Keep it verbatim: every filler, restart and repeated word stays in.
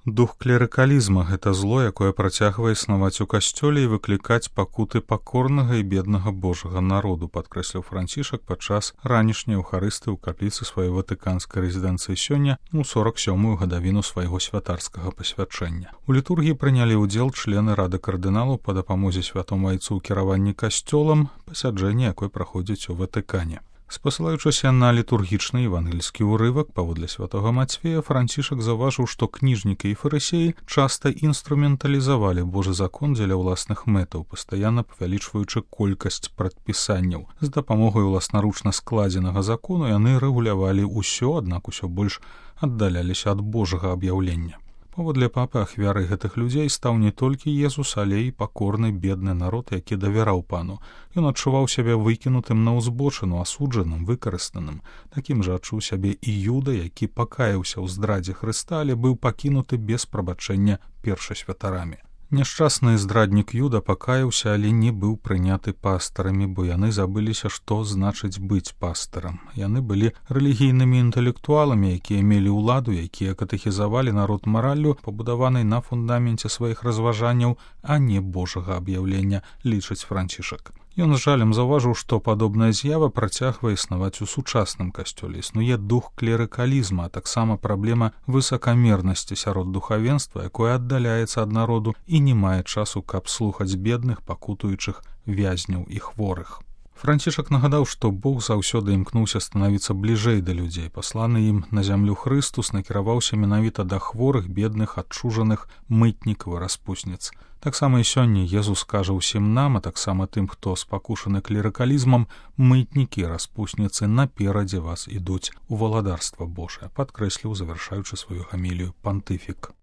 Дух клерыкалізма – гэта зло, якое працягвае існаваць у касцёле і выклікаць пакуты пакорнага і беднага Божага народу, падкрэсліў Францішак падчас ранішняй эўхарыстыі ў капліцы сваёй ватыканскай рэзідэнцыі сёння у сорак сёмую гадавіну свайго святарскага пасвячэння. У літургіі прынялі ўдзел члены рады кардыналаў па дапамозе святому айцу ў кіраванні касцёлам, пасяджэнне якой праходзіць у Ватыкане. Спасылаючыся на літургічны евангельскі ўрывак паводле святога Мацфея, Францішак заўважыў, што кніжнікі і фарысеі часта інструменталізавалі Божы закон дзеля ўласных мэтаў, пастаянна павялічваючы колькасць прадпісанняў. З дапамогай уласнаручна складзенага закону яны рэгулявалі ўсё, аднак усё больш аддаляліся ад Божага аб'яўлення. Паводле папы, ахвярай гэтых людзей стаў не толькі Езус, але і пакорны бедны народ, які давяраў пану. Ён адчуваў сябе выкінутым на ўзбочыну, асуджаным, выкарыстаным. Такім жа адчуў сябе і Юда, які пакаяўся ў здрадзе Хрыста, але быў пакінуты без прабачэння першасвятарамі. Няшчасны здраднік Юда пакаяўся, але не быў прыняты пастарамі, бо яны забыліся, што значыць быць пастарам. Яны былі рэлігійнымі інтэлектуаламі, якія мелі ўладу, якія катэхізавалі народ мараллю, пабудаванай на фундаменце сваіх разважанняў, а не Божага аб'яўлення, лічыць Францішак. Ён з жалем заўважыў, што падобная з'ява працягвае існаваць у сучасным касцёле. Існуе дух клерыкалізма, а таксама праблема высакамернасці сярод духавенства, якое аддаляецца ад народу і не мае часу, каб слухаць бедных, пакутуючых вязняў і хворых. Францішак нагадаў, што Бог заўсёды імкнуўся станавіцца бліжэй да людзей. Пасланы ім на зямлю Хрыстус накіраваўся менавіта да хворых, бедных, адчужаных, мытнікаў і распусніц. Таксама і сёння Езус кажа ўсім нам, а таксама тым, хто спакушаны клерыкалізмам, мытнікі і распусніцы наперадзе вас ідуць у валадарства Божае, падкрэсліў, завяршаючы сваю гамілію пантыфік.